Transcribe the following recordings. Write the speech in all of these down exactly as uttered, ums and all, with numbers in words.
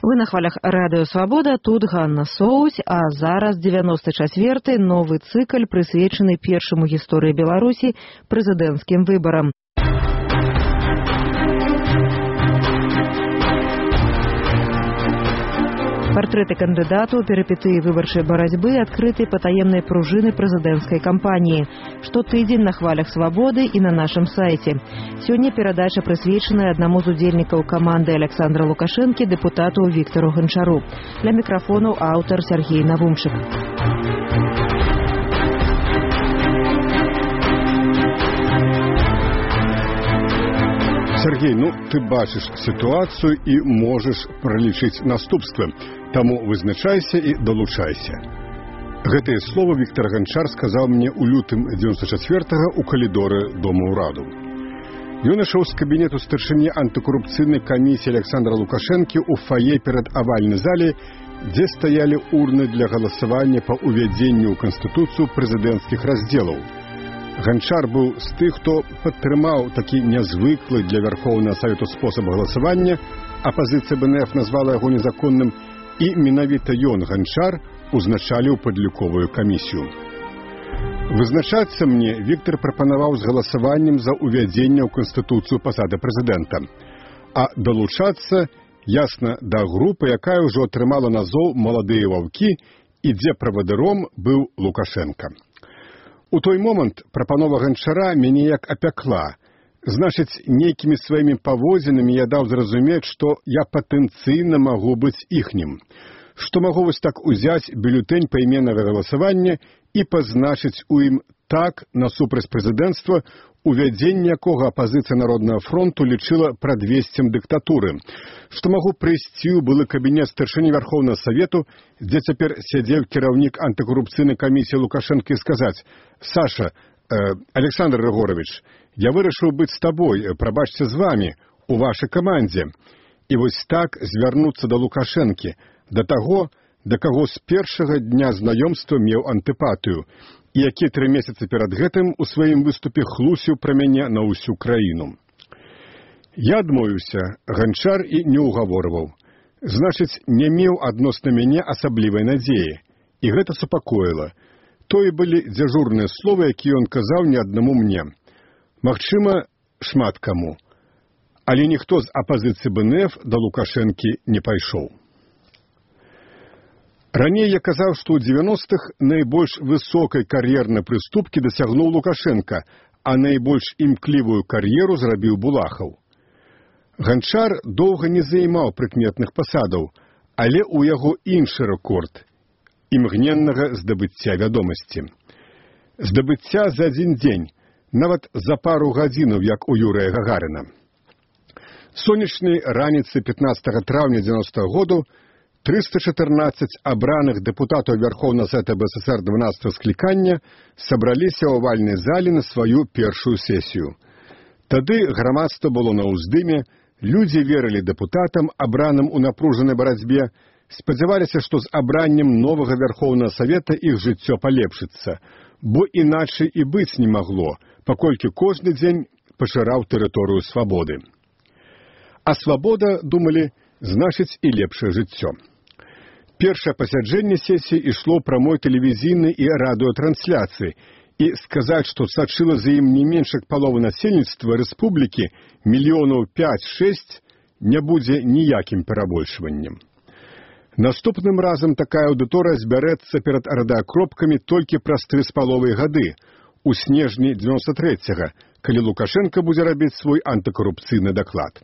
Вы на хвалях Радыё Свабода, тут Ганна Соусь, а зараз дзевяносты чацвёрты новы цыкл, прысвечаны першаму гісторыі Беларусі прэзідэнцкім выбарам. Партрэты кандыдатаў, перыпетыі выбарчай барацьбы, адкрытай патаемнай пружыны прэзідэнцкай кампаніі. Штотыдзень на хвалях Свабоды і на нашым сайце. Сёння перадача прысвечаная аднаму з удзельнікаў каманды Александра Лукашэнкі, дэпутату Віктору Ганчару. Для мікрафонаў аўтар Сергей Навумчык. Сергей, ну ты бачыш сітуацыю і можаш пралічыць наступствы. Таму вызначайся і далучайся. Гэтыя словы Віктор Ганчар сказаў мне ў лютым дзевяносто чацвёртага ў калідоры Дома ўраду. Ён ішоў з кабінету старшыні антыкорупцыйнай камісіі Александра Лукашэнкі ў фае перад авальнай зале, дзе стаялі урны для галасавання па ўвядзенню ў Канстытуцыю прэзідэнцкіх раздзелаў. Ганчар быў з тых, хто падтрымаў такі нязвыклы для Вярхоўнага Савету спосаб галасавання, апазіцыя бэ эн эф назвала яго незаконным, і менавіта ён, Ганчар, узначаліў падліковую камісію. Вызначацца мне Віктор прапанаваў з галасаваннем за ўвядзенне ў Канстытуцыю пасады прэзідэнта, а далучацца, ясна, да групы, якая ўжо атрымала назоў «Маладыя ваўкі» і дзе правадыром быў Лукашенка. У той момант прапанова Ганчара мяне як апякла. Значыць, нейкімі сваімі паводзінамі я даў зразумець, што я патэнцыйна магу быць іхнім. Што магу вось так узяць бюлетэнь пайменнага галасавання і пазначыць у ім так насупраць прэзідэнцтва, увядзенне якога апазіцыя Народнага фронту лічыла прадвесцем дыктатуры. Што магу прыйсці ў былы кабінет старшыні Вярхоўнага Савету, дзе цяпер сядзеў кіраўнік антыкорупцыйнай камісіі Лукашэнкі і сказаць: «Саша, э, Александр Рыгорович, я вырашыў быць з табой, прабачце з вамі, у вашай камандзе». І вось так звярнуцца да Лукашэнкі, да таго, да каго з першага дня знаёмства меў антыпатыю, і які тры месяцы перад гэтым у сваім выступе хлусіў пра мяне на ўсю краіну. Я адмовіўся, Ганчар і не ўгаворваў. Значыць, не меў адносна мяне асаблівай надзеі. І гэта супакоіла. Тое былі дзяжурныя словы, якія ён казаў не аднаму мне. Магчыма, шмат каму. Але ніхто з апазіцыі бэ эн эф да Лукашэнкі не пайшоў. Раней я казаў, што ў дзевяностых найбольш высокай кар'ернай прыступкі дасягнуў Лукашенка, а найбольш імклівую кар'еру зрабіў Булахаў. Ганчар доўга не займаў прыкметных пасадаў, але ў яго іншы рэкорд – імгненнага здабыцця вядомасці. Здабыцця за адзін дзень, нават за пару гадзінаў, як у Юрыя Гагарына. Сонечнай раніцы пятнаццатага траўня дзевяностага году трыста чатырнаццаць абраных дэпутатаў Вярхоўнага Савета бэ эс эс эр дванаццатага склікання сабраліся ў авальнай зале на сваю першую сесію. Тады грамадства было на ўздыме, людзі верылі дэпутатам, абраным у напружанай барацьбе, спадзяваліся, што з абраннем новага Вярхоўнага Савета іх жыццё палепшыцца, бо іначай і быць не магло, паколькі кожны дзень пашыраў тэрыторыю свабоды. А свабода, думалі, значыць і лепшае жыццё. Першае пасяджэнне сесіі ішло прамой тэлевізійнай і радыётрансляцыі, і сказаць, што сачыла за ім не менш як палова насельніцтва рэспублікі, мільёнаў пяць-шэсць, не будзе ніякім перабольшваннем. Наступным разам такая аўдыторыя збярэцца перад радыакропкамі толькі праз тры з паловай гады, у снежні дзевяносто трэцяга, калі Лукашенка будзе рабіць свой антыкорупцыйны даклад.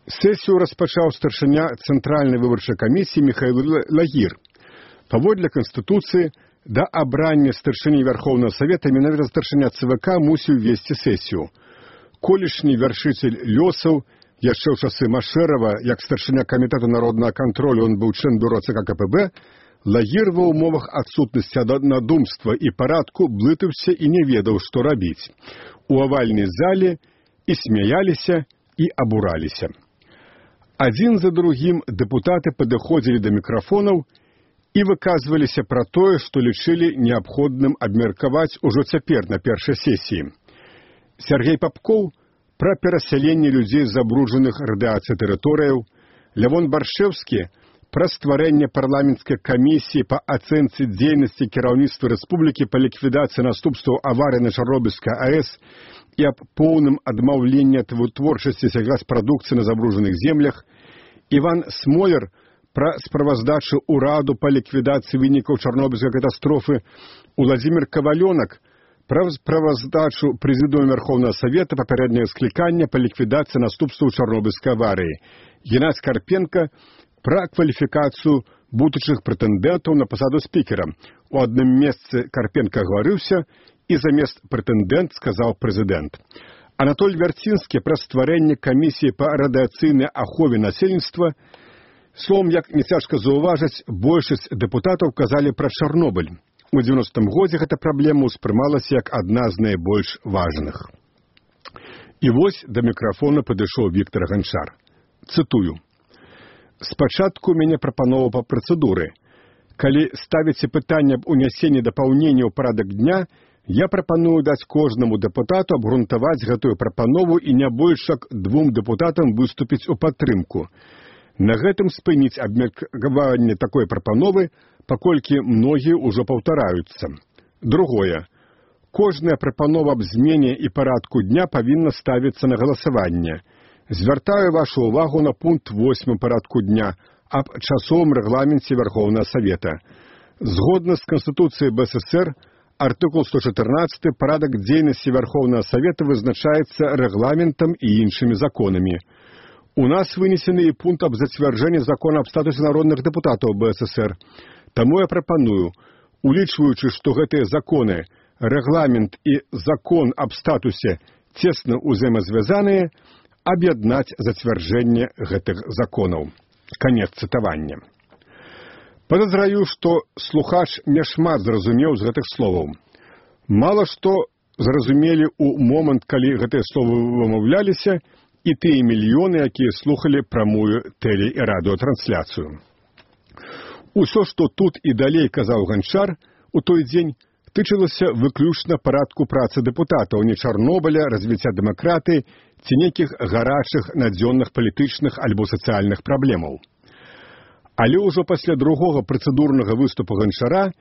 Сесію распачаў старшыня Цэнтральнай выбарчай камісіі Міхаіл Лагір. Паводле Канстытуцыі, да абрання старшыні Вярхоўнага Савета менавіта старшыня цэ вэ ка мусіў весці сесію. Колішні вяршыцель лёсаў, яшчэ ў часы Машэрава, як старшыня камітэта народнага кантролю, ён быў член бюро цэ ка ка пэ бэ, Лагір ва ўмовах адсутнасці надумства і парадку блытаўся і не ведаў, што рабіць. У авальнай зале і смяяліся, і абураліся. Адзін за другім дэпутаты падыходзілі да мікрафонаў і выказваліся пра тое, што лічылі неабходным абмеркаваць ужо цяпер на першай сесіі. Сергей Попков пра перасяленне людзей з забруджаных радыацыяй тэрыторыяў, Лявон Баршэўскі пра стварэнне парламенцкай камісіі па ацэнцы дзейнасці кіраўніцтва рэспублікі па ліквідацыі наступстваў аварыі на Чарнобыльскай АЭС і аб поўным адмаўленні ад вытворчасці сельгаспрадукцыі на забруджаных землях, Іван Смолер пра справаздачу ўраду па ліквідацыі вынікаў Чарнобыльскай катастрофы, Уладзімір Кавалёнак пра справаздачу Прэзідыума Верховнага Савета папярэдняга склікання па ліквідацыі наступстваў Чарнобыльскай аварыі, Геннадзь Карпенка пра кваліфікацыю будучых прэтэндэнтаў на пасаду спікера. У адным месцы Карпенка гаварыўся, і замест прэтэндэнт сказаў прэзідэнт. Анатоль Вярцінскі пра стварэнне камісіі па радыяцыйнай ахове насельніцтва. Словом, як не цяжка заўважыць, большасць дэпутатаў казалі пра Чарнобыль. У дзевяностым годзе гэта праблема ўспрымалася як адна з найбольш важных. І вось да мікрафона падышоў Віктор Ганчар. Цытую. «Спачатку у мяне прапанова па працэдуры. Калі ставіце пытанне аб унясенні дапаўнення ў парадак дня, я прапаную даць кожнаму дэпутату абгрунтаваць гэтую прапанову і не больш як двум дэпутатам выступіць у падтрымку. На гэтым спыніць абмеркаванне такой прапановы, паколькі многія ўжо паўтараюцца. Другое. Кожная прапанова аб змене і парадку дня павінна ставіцца на галасаванне. Звяртаю вашу ўвагу на пункт восьмы парадку дня аб часовым рэгламенце Верховнага Савета. Згодна з Канстытуцыяй БССР, артыкул сто чатырнаццаты, парадак дзейнасці Верховнага Савета вызначаецца рэгламентам і іншымі законамі. У нас вынесены і пункт аб зацвярджэнні закона аб статусе народных дэпутатаў БССР. Таму я прапаную, улічваючы, што гэтыя законы, рэгламент і закон аб статусе цесна ўзаемазвязаныя, аб'яднаць зацвярджэнне гэтых законаў». Канец цытавання. Падазраю, што слухач няшмат зразумеў з гэтых словаў. Мала што зразумелі ў момант, калі гэтыя словы вымаўляліся, і тыя мільёны, якія слухалі прамую тэле- і радыётрансляцыю. Усё, што тут і далей казаў Ганчар у той дзень, тычылася выключна парадку працы дэпутатаў, не Чарнобыля, развіцця дэмакратыі ці нейкіх гарачых надзённых палітычных альбо сацыяльных праблемаў. Але ўжо пасля другога працэдурнага выступу Ганчара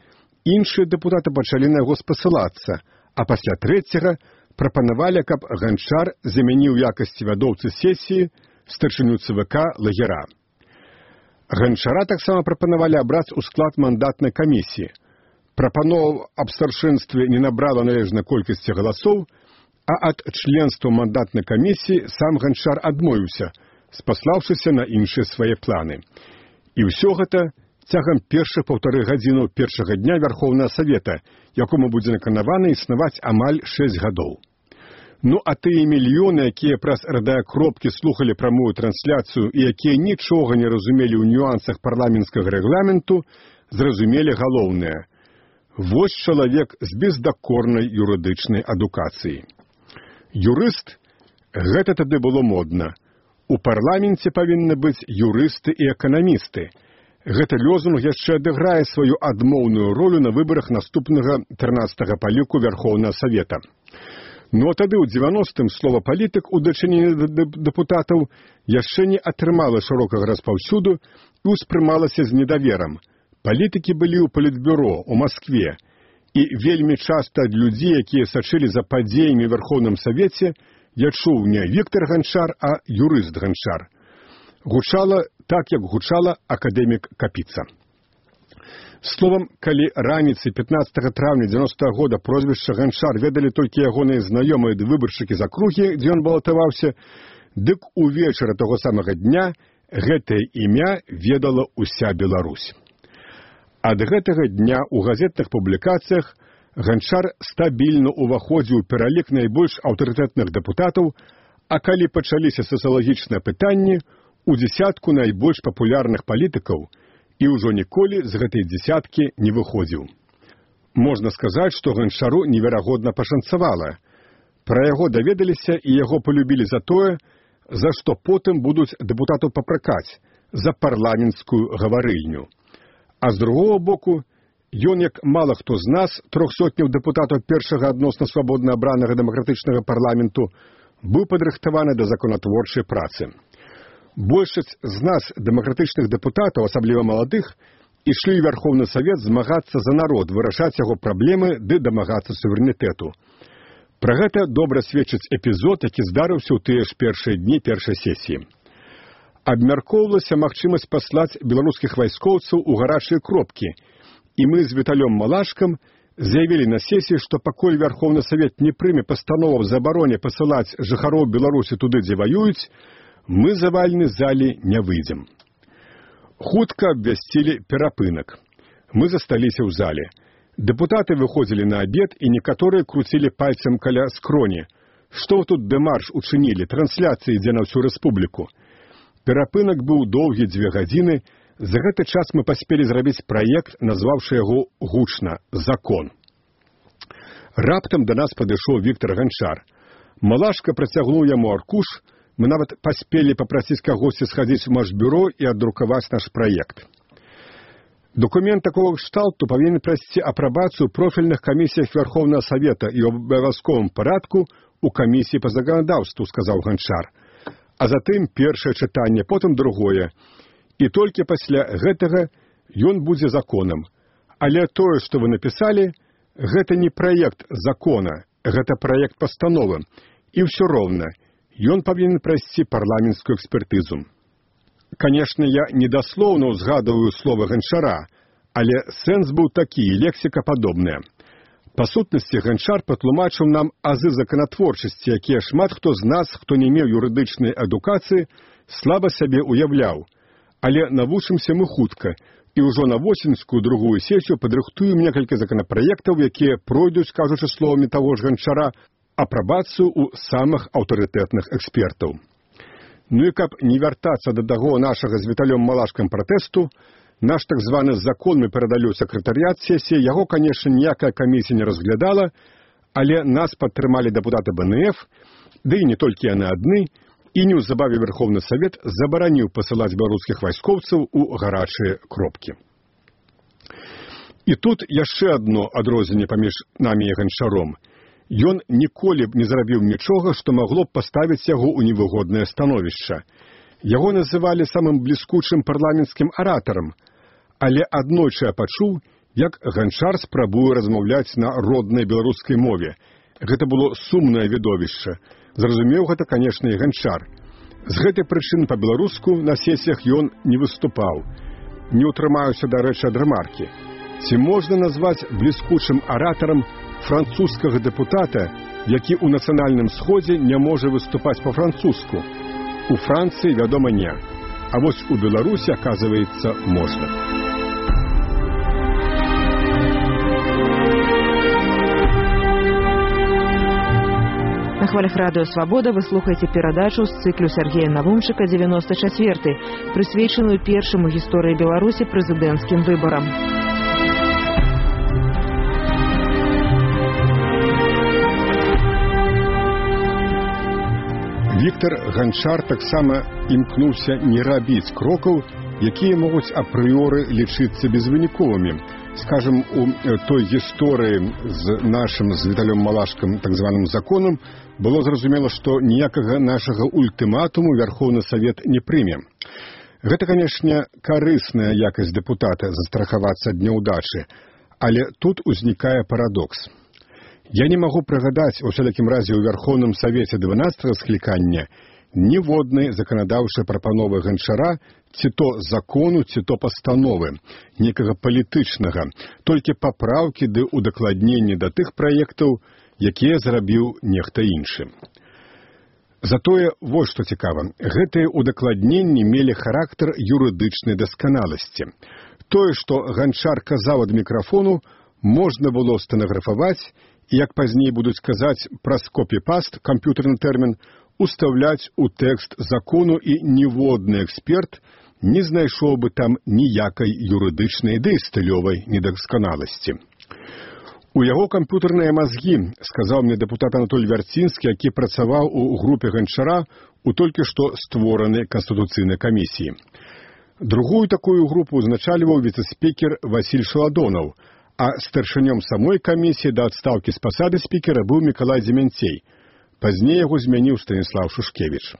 іншыя дэпутаты пачалі на яго спасылацца, а пасля трэцяга прапанавалі, каб Ганчар замяніў якасці вядоўцы сесіі старшыню ЦВК Лагера. Ганчара таксама прапанавалі абраць у склад мандатнай камісіі. Прапанова аб старшынстве не набрала належнай колькасці галасоў, а ад членства мандатнай камісіі сам Ганчар адмовіўся, спаслаўшыся на іншыя свае планы. І ўсё гэта цягам першых паўтары гадзінаў першага дня Верховнага Савета, якому будзе наканавана існаваць амаль шэсць гадоў. Ну а тыя мільёны, якія праз радыёкропкі слухалі прамую трансляцыю і якія нічога не разумелі ў нюансах парламенцкага рэгламенту, зразумелі галоўнае. Вось чалавек з бездакорнай юрыдычнай адукацыяй. Юрыст – гэта тады было модна. У парламенце павінны быць юрысты і эканамісты. Гэты лозунг яшчэ адыграе сваю адмоўную ролю на выбарах наступнага трынаццатага па ліку Верховнага Савета. Ну а тады ў дзевяностым слова «палітык» у дачыненні да дэпутатаў яшчэ не атрымала шырокага распаўсюду і ўспрымалася з недаверам. Палітыкі былі ў палітбюро, у Маскве, і вельмі часта ад людзей, якія сачылі за падзеямі ў Верховным Савеце, я чуў не Віктор Ганчар, а юрыст Ганчар. Гучала так, як гучала акадэмік Капіца. Словам, калі раніцай пятнаццатага траўня дзевяностага года прозвішча Ганчар ведалі толькі ягоныя знаёмыя ды выбаршчыкі з акругі, дзе ён балатаваўся, дык увечары таго самага дня гэтае імя ведала ўся Беларусь. Ад гэтага дня ў газетных публікацыях Ганчар стабільна ўваходзіў у пералік найбольш аўтарытэтных дэпутатаў, а калі пачаліся сацыялагічныя пытанні, у дзесятку найбольш папулярных палітыкаў і ўжо ніколі з гэтай дзесяткі не выходзіў. Можна сказаць, што Ганчару неверагодна пашанцавала. Пра яго даведаліся і яго полюбілі за тое, за што потым будуць дэпутатаў папракаць, за парламенцкую гаварыльню. А з другого боку, ён, як мала хто з нас, трохсотняў дэпутатаў першага адносна свабодна абранага дэмакратычнага парламенту, быў падрыхтаваны да законатворчай працы. Большасць з нас, дэмакратычных дэпутатаў, асабліва маладых, ішлі ў Вярхоўны Савет змагацца за народ, вырашаць яго праблемы ды дамагацца суверэнітэту. Пра гэта добра сведчыць эпізод, які здарыўся ў тыя ж першыя дні першай сесіі. Абмяркоўвалася магчымасць паслаць беларускіх вайскоўцаў у гарачыя кропкі, і мы з Віталём Малашкам заявілі на сесіі, што пакуль Вярхоўны Савет не прыме пастанову аб забароне пасылаць жыхароў Беларусі туды, дзе ваююць, мы з авальнай залі не выйдзем. Хутка абвясцілі перапынак. Мы засталіся ў зале. Дэпутаты выходзілі на абед, і некаторыя круцілі пальцам каля скроні. Што вы тут дэмарш учынілі, трансляцыі ідзе на ўсю рэспубліку. Перапынак быў доўгі дзве гадзіны. За гэты час мы паспелі зрабіць праект, назваўшы яго гучна «Закон». Раптам да нас падышоў Віктар Ганчар. Малашка працягнуў яму аркуш. Мы нават паспелі папрасіць кагосьці схадзіць у Машбюро і аддрукаваць наш праект. Документ такого кшталту павінен прайсці апрабацыю профільных камісіях Верховного Савета і ў абавязковым парадку у камісіі па заканадаўству, сказаў Ганчар. А затым першае чытанне, потым другое. І толькі пасля гэтага ён будзе законам. Але тое, што вы напісалі, гэта не праект закона, гэта праект пастановы. І ўсё роўна. Ён павінен прайсці парламенцкую экспертызу. Канешне, я недаслоўна ўзгадываю словы Ганчара, але сэнс быў такі, лексіка падобная. Па сутнасці, Ганчар патлумачыў нам азы законатворчасці, якія шмат хто з нас, хто не меў юрыдычнай адукацыі, слаба сабе уяўляў. Але навучымся мы хутка, і ўжо на восеньскую другую сесію падрыхтуем некалькі законапраектаў, якія пройдуць, кажучы словамі таго ж Ганчара, апрабацыю ў самых аўтарытэтных экспертаў. Ну і каб не вяртацца да таго нашага з Віталём Малашкам пратэсту, наш так званы закон мы перадалі ў сакратарыят сесіі, яго, канешне, ніякая камісія не разглядала, але нас падтрымалі дэпутаты бэ эн эф, ды і не толькі яны адны, і неўзабаве Верховны Савет забараніў пасылаць беларускіх вайскоўцаў у гарачыя кропкі. І тут яшчэ адно адрозненне паміж намі і Ганчаром. Ён ніколі б не зрабіў нічога, што магло б паставіць яго ў невыгоднае становішча. Яго называлі самым бліскучым парламенцкім аратарам, але аднойчы я пачуў, як Ганчар спрабуе размаўляць на роднай беларускай мове. Гэта было сумнае відовішча. Зразумеў гэта, канешне, і Ганчар. З гэтай прычыны па-беларуску на сесіях ён не выступаў. Не ўтрымаюся, дарэчы, ад рэмаркі. Ці можна назваць бліскучым аратарам французскага дэпутата, які ў нацыянальным сходзе не можа выступаць па-французску? У Францыі, вядома, не. А вось у Беларусі, аказваецца, можна. На хвалях радыё «Свабода» вы слухаеце перадачу з цыклю Сергея Навумчыка девяносто четвёрты, прысвечаную першаму гісторыі Беларусі прэзідэнцкім выбарам. Віктар Ганчар таксама імкнуўся не рабіць крокаў, якія могуць апрыёры лічыцца безвыніковымі. Скажем, у той гісторыі з нашым, з Віталём Малашкам, так званым законам, было зразумела, што ніякага нашага ультыматуму Верховны Савет не прыме. Гэта, канешне, карысная якасць дэпутата застрахавацца ад няўдачы, але тут узнікае парадокс. Я не магу прыгадаць, у усялякім разе ў Верховным Савеце дванаццатага склікання, ніводнай заканадаўчай прапановы Ганчара, ці то закону, ці то пастановы, некага палітычнага, толькі папраўкі ды удакладненні да тых праектаў, якія зрабіў нехта іншы. Затое, вось што цікава, гэтыя удакладненні мелі характар юрыдычнай дасканаласці. Тое, што Ганчар казаў ад мікрафону, можна было стэнаграфаваць, і, як пазней будуць казаць праз копі-паст, камп'ютэрны тэрмін, устаўляць у тэкст закону, і ніводны эксперт не знайшоў бы там ніякай юрыдычнай ды стылёвай недасканаласці. У яго камп'ютэрныя мазгі, сказаў мне дэпутат Анатоль Вярцінскі, які працаваў у групе Ганчара у толькі што створанай Канстытуцыйнай камісіі. Другую такую групу узначальваў віцэ-спікер Васіль Шаладонаў, а старшынём самой камісіі да адстаўкі з пасады спікера быў Мікалай Дземянцей. Пазней яго змяніў Станіслав Шушкевіч.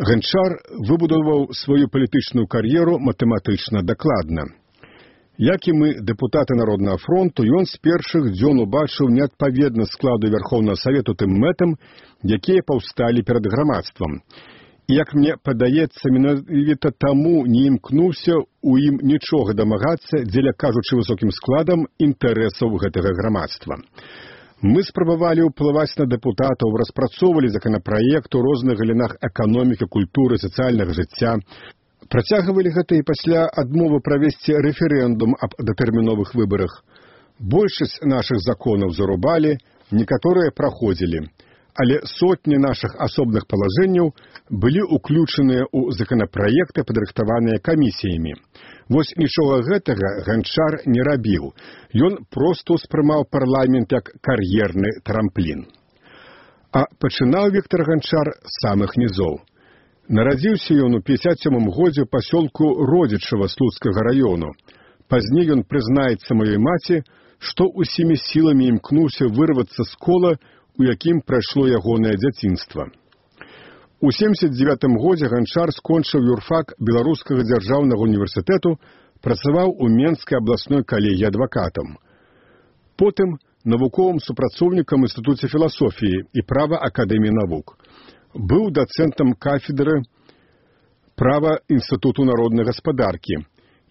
Ганчар выбудаваў сваю палітычную кар'еру матэматычна дакладна. Як і мы, дэпутаты Народнага фронту, ён з першых дзён убачыў неадпаведнасць складу Вярхоўнага Савету тым мэтам, якія паўсталі перад грамадствам. І, як мне падаецца, менавіта таму не імкнуўся ў ім нічога дамагацца, дзеля кажучы высокім складам інтарэсаў гэтага грамадства. Мы спрабавалі ўплываць на дэпутатаў, распрацоўвалі законапраект у розных галінах эканомікі, культуры, сацыяльнага жыцця. Працягвалі гэта і пасля адмовы правесці рэферэндум аб датэрміновых выбарах. Большасць нашых законаў зарубалі, некаторыя праходзілі. Але сотні нашых асобных палажэнняў былі ўключаныя ў законапраекты, падрыхтаваныя камісіямі. Вось нічога гэтага Ганчар не рабіў. Ён проста ўспрымаў парламент як кар'ерны трамплін. А пачынаў Віктар Ганчар з самых нізоў. Нарадзіўся ён у пятьдесят сёмым годзе ў пасёлку Родзічава Слуцкага раёну. Пазней ён прызнаецца маёй маці, што усімі сіламі імкнуўся вырвацца з кола, у якім прайшло ягонае дзяцінства. У семдзесят дзевятым годзе Ганчар скончыў юрфак Беларускага дзяржаўнага універсітэту, працаваў у Менскай абласной калегіі адвакатам. Потым навуковым супрацоўнікам Інстытуце філасофіі і права Акадэміі навук. Быў дацэнтам кафедры права Інстытуту народнай гаспадаркі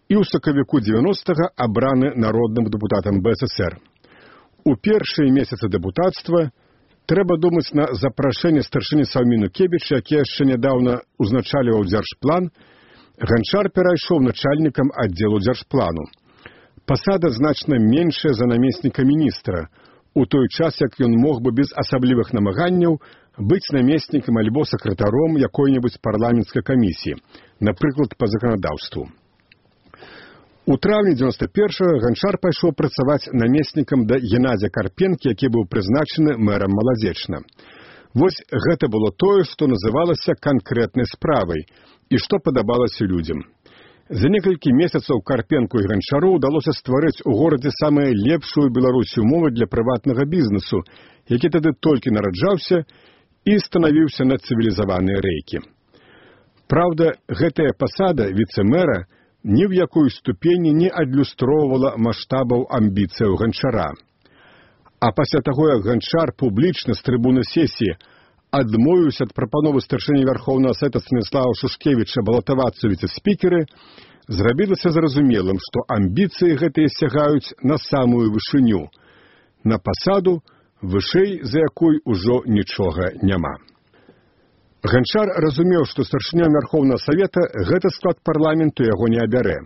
і ў сакавіку дзевяностага абраны народным дэпутатам бэ эс эсэр. У першыя месяцы дэпутацтва трэба думаць на запрашэнне старшыні Саўміну Кебіча, які яшчэ нядаўна узначальваў дзяржплан, Ганчар перайшоў начальнікам аддзелу дзяржплану. Пасада значна меншая за намесніка міністра, у той час, як ён мог бы без асаблівых намаганняў быць намеснікам альбо сакратаром якой-небудзь парламенцкай камісіі, напрыклад, па заканадаўству. У траўні дзевяносто першага Ганчар пайшоў працаваць намеснікам да Геннадзя Карпенкі, які быў прызначаны мэрам Маладзечна. Вось гэта было тое, што называлася канкрэтнай справай і што падабалася людзям. За некалькі месяцаў Карпенку і Ганчару ўдалося стварыць у горадзе самую лепшую Беларусі умовы для прыватнага бізнесу, які тады толькі нараджаўся і станавіўся на цывілізаваныя рэйкі. Праўда, гэтая пасада віцэ-мэра ні ў якой ступені не адлюстроўвала маштабаў амбіцыяў Ганчара. А пасля таго, як Ганчар публічна з трыбуны сесіі адмовіўся ад прапановы старшыні Вярхоўнага Савета Станіслава Шушкевіча балатавацца ў віцэ-спікеры, зрабілася зразумелым, што амбіцыі гэтыя сягаюць на самую вышыню, на пасаду, вышэй за якой ужо нічога няма. Ганчар разумеў, што старшынём Вярхоўнага Савета гэты склад парламенту яго не абярэ.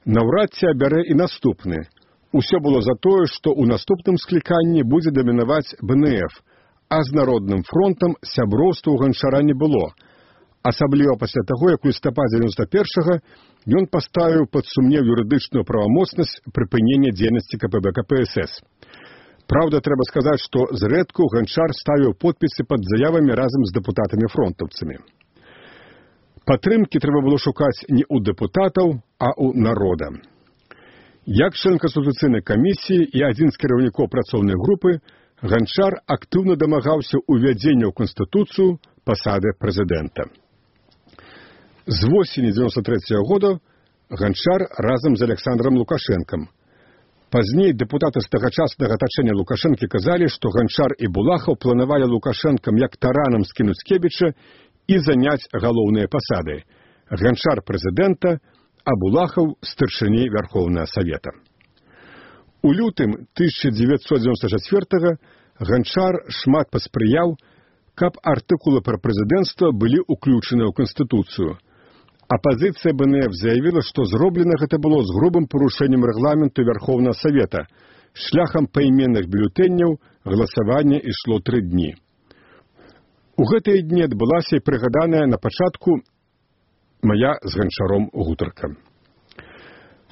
Наўрад ці абярэ і наступны. Усё было за тое, што ў наступным скліканні будзе дамінаваць бэ эн эф, а з Народным фронтам сяброўства ў Ганчара не было. Асабліва пасля таго, як у лістападзе дзевяносто першага ён паставіў пад сумнеў юрыдычную правамоцнасць прыпынення дзейнасці ка пэ бэ ка пэ эс эс. Праўда, трэба сказаць, што зрэдку Ганчар ставіў подпісы пад заявамі разам з дэпутатамі-фронтаўцамі. Падтрымкі трэба было шукаць не ў дэпутатаў, а ў народа. Як член Канстытуцыйнай камісіі і адзін з кіраўнікоў працоўнай групы, Ганчар актыўна дамагаўся ўвядзення ў Канстытуцыю пасады прэзідэнта. З восені дзевяносто трэцяга года Ганчар разам з Александром Лукашэнкам. Пазней дэпутаты з тагачаснага атачэння Лукашэнкі казалі, што Ганчар і Булахаў планавалі Лукашэнкам як таранам скінуць Кебіча і заняць галоўныя пасады. Ганчар прэзідэнта, а Булахаў старшыні Вярхоўнага Савета. У лютым тысяча дзевяцьсот дзевяносто чацвёртага Ганчар шмат паспрыяў, каб артыкулы пра прэзідэнцтва былі ўключаны ў Канстытуцыю. Апазіцыя бэ эн эф заявіла, што зроблена гэта было з грубым парушэннем рэгламенту Вярхоўнага Савета. Шляхам пайменных бюлетэняў галасаванне ішло тры дні. У гэтыя дні адбылася і прыгаданая на пачатку мая з Ганчаром гутарка.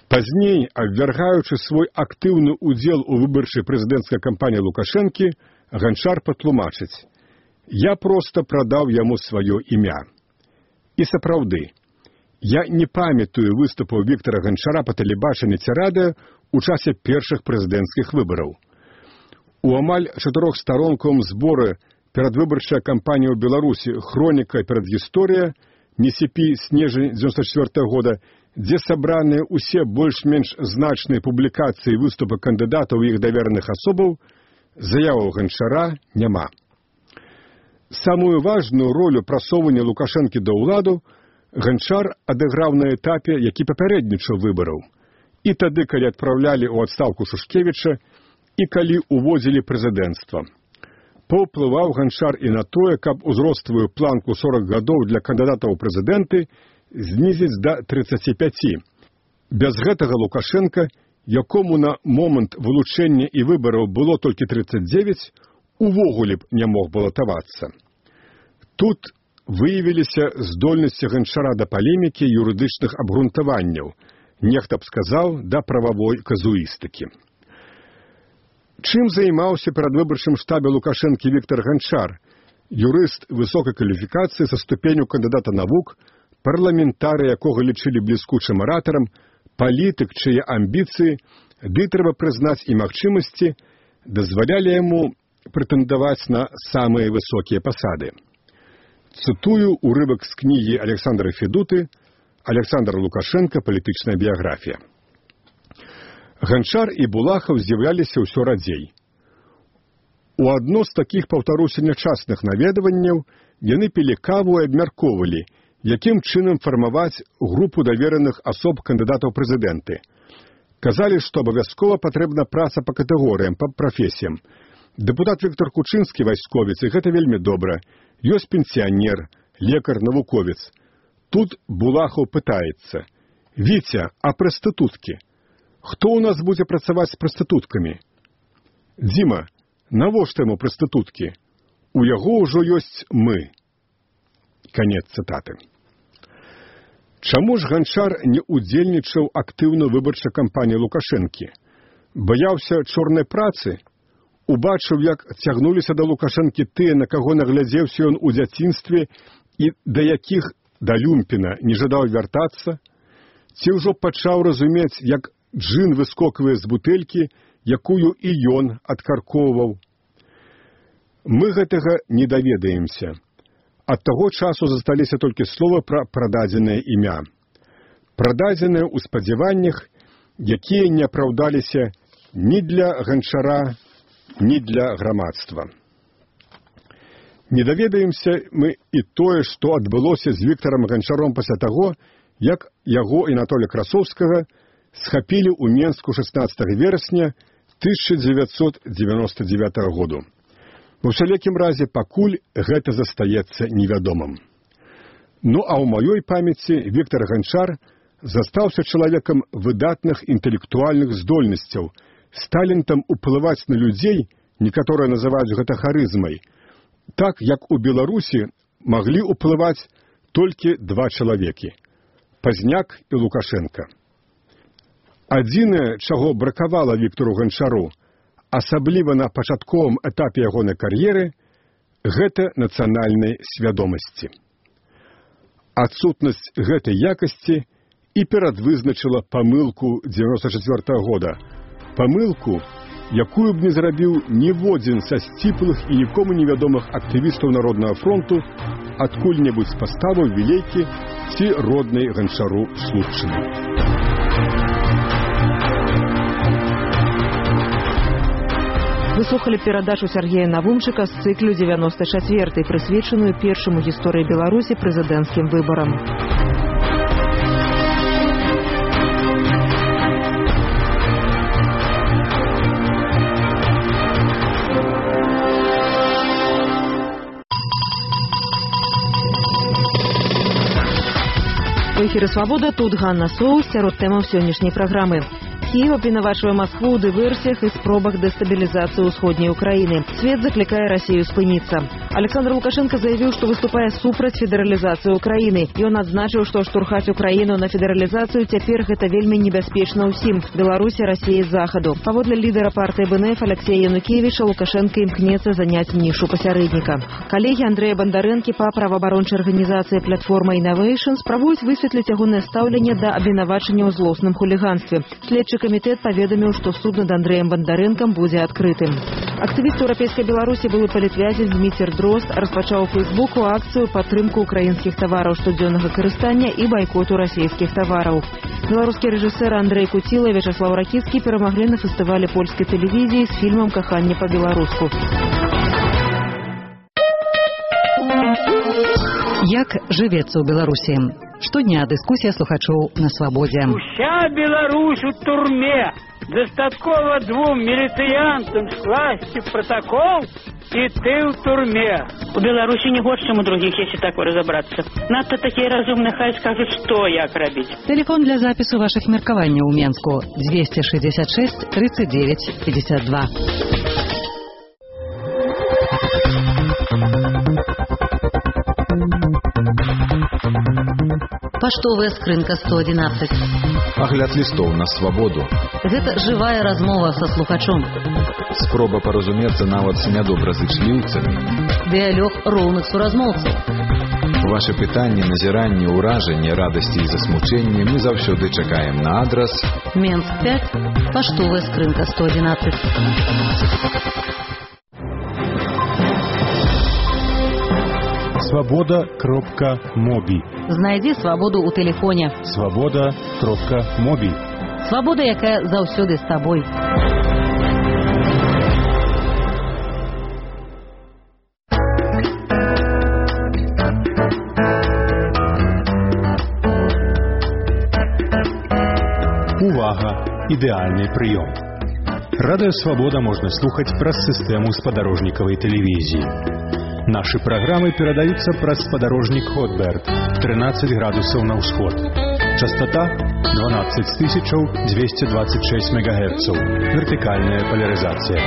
Пазней, абвяргаючы свой актыўны ўдзел у выбарчай прэзідэнцкай кампаніі Лукашэнкі, Ганчар патлумачыць: «Я проста прадаў яму сваё імя». І сапраўды, я не памятаю выступаў Віктара Ганчара па тэлебачанні ці радыё ў часе першых прэзідэнцкіх выбараў. У амаль чатырохстаронкавым зборы перадвыбарчая кампанія ў Беларусі «Хроніка і перадгісторыя» Місіпі снежань дзевяносто четвёртого года, дзе сабраныя ўсе больш-менш значныя публікацыі і выступы кандыдатаў і іх давераных асобаў, заяваў Ганчара няма. Самую важную ролю прасоўвання Лукашэнкі да ўладу Ганчар адыграў на этапе, які папярэднічаў выбараў. І тады, калі адпраўлялі ў адстаўку Шушкевіча, і калі уводзілі прэзідэнцтва. Паўплываў Ганчар і на тое, каб узроставую планку сорок гадоў для кандыдатаў у прэзідэнты знізіць да трыццаці пяці. Без гэтага Лукашенка, якому на момант вылучэння і выбараў было толькі трыццаць дзевяць, увогуле б не мог балатавацца. Тут выявіліся здольнасці Ганчара да палемікі і юрыдычных абгрунтаванняў, нехта б сказаў, да прававой казуістыкі. Чым займаўся перадвыбарчым штабе Лукашэнкі Віктор Ганчар, юрыст высокай кваліфікацыі са ступенню кандыдата навук, парламентары, якога лічылі бліскучым аратарам, палітык, чые амбіцыі, ды трэба прызнаць і магчымасці, дазвалялі яму прэтэндаваць на самыя высокія пасады. Цытую урывак з кнігі Александра Федуты «Александр Лукашенко. Палітычная біяграфія». Ганчар і Булахаў з'яўляліся ўсё радзей. У адно з такіх, паўтаруся, нячасных наведванняў яны пілі каву і абмяркоўвалі, якім чынам фармаваць групу давераных асоб кандыдатаў прэзідэнты. Казалі, што абавязкова патрэбна праца па катэгорыям, па прафесіям. Дэпутат Віктор Кучынскі, вайсковец, і гэта вельмі добра. Ёсць пенсіянер, лекар, навуковец. Тут Булахаў пытаецца: «Віця, а прастытуткі? Хто ў нас будзе працаваць з прастытуткамі? Дзіма, навошта яму прастытуткі? У яго ўжо ёсць мы». Канец цытаты. Чаму ж Ганчар не удзельнічаў актыўна выбарчай кампаніі Лукашэнкі? Баяўся чорнай працы? Убачыў, як цягнуліся да Лукашэнкі тыя, на каго наглядзеўся ён у дзяцінстве і да якіх да люмпіна не жадаў вяртацца? Ці ўжо пачаў разумець, як джын выскоквае з бутэлькі, якую і ён адкаркоўваў? Мы гэтага не даведаемся. Ад таго часу засталіся толькі словы пра прададзенае імя. Прададзенае ў спадзяваннях, якія не апраўдаліся ні для Ганчара, ні для грамадства. Не даведаемся мы і тое, што адбылося з Віктарам Ганчаром пасля таго, як яго і Анатолія Красоўскага схапілі ў Менску шаснаццатага верасня тысяча дзевяцьсот дзевяносто дзевятага году. У усялякім разе пакуль гэта застаецца невядомым. Ну а ў маёй памяці Віктар Ганчар застаўся чалавекам выдатных інтэлектуальных здольнасцяў, з талентам уплываць на людзей, некаторыя называюць гэта харызмай, так як у Беларусі маглі ўплываць толькі два чалавекі – Пазняк і Лукашенка. Адзінае, чаго бракавала Віктару Ганчару, асабліва на пачатковым этапе ягонай кар'еры, гэта нацыянальнай свядомасці. Адсутнасць гэтай якасці і перадвызначыла памылку дзевяносто четвёртого года. Памылку, якую б не зрабіў ніводзін са сціплых і нікому невядомых актывістаў Народнага фронту адкуль-небудзь з паставаў вілейкі ці роднай Ганчару слупчыны. Вы слухали перадачу Сергея Навумчыка з цыклю девяносто четвёртой, прысвечаную першаму гісторыі Беларусі прэзідэнцкім выбарам. У эфіры «Свабода», тут Ганна Соус, сярод тэмаў сённяшняй праграмы. Киев обвинавачивая Москву у диверсиях и спробах дестабилизации усходней Украины. Свет закликая Россию спыниться. Александр Лукашенко заявил, что выступая супраць федерализации Украины. И он отзначил, что штурхать Украину на федерализацию теперь это вельми небяспечна ўсім. Беларуси, России, Заходу. Паводле лидера партии БНФ Алексея Янукевича Лукашенко імкнецца занять нишу посередника. Коллеги Андрея Бондаренки по правоабарончай организации «Платформа Innovations» пробуюць высветліць ягонае стаўленне да абвінавачання ў злосным хулиганстве. Следчы следчы камітэт паведаміў, што суд над Андрэем Бандарэнкам будзе адкрытым. Актывіст еўрапейскай Беларусі, былы палітвязень Дміцер Дрозд, распачаў у Фейсбуку акцыю падтрымку украінскіх тавараў штодзённага карыстання і байкоту расійскіх тавараў. Беларускі рэжысэр Андрэй Куціла і Вячаслаў Ракіцкі перамаглі на фестывалі польскай тэлевізіі з фільмам «Каханне па-беларуску». Як жывецца ў Беларусі? Штодня дыскусія слухачоў на свабодзе. Уся Беларусь у турме. Дастаткова двум міліцыянтам скласці протокол, і ты ў турме. У Беларусі не горш, чым у другіх, если так разобраться. Надто такие разумные, хай скажут, что як робить. Телефон для запису ваших меркаванняў у Менску двести шестьдесят шесть тридцать девять пятьдесят два. Паштовая скрынка сто одиннадцать. Агляд лістоў на свабоду. Гэта жывая размова са слухачом. Спроба паразумецца нават з нядобразычліўцамі. Дыялог роўных суразмоўцаў. Вашы пытанні, назіранні, ўражанні, радасці і засмучэнні мы заўсёды чакаем на адрас Менск пять, паштовая скрынка сто одиннадцать. Свобода кропка моби. Знайдзі свабоду ў тэлефоне. Свобода кропка моби. Свабода, якая заўсёды з табой. Увага! Ідэальны прыём. Радыё Свабода можна слухаць праз сістэму спадарожнікавай тэлевізіі. Наши программы передаются праз спадарожник Хотберт тринадцать градусов на ўсход. Частота двенадцать тысяч двести двадцать шесть мегагерцаў. Вертикальная поляризация.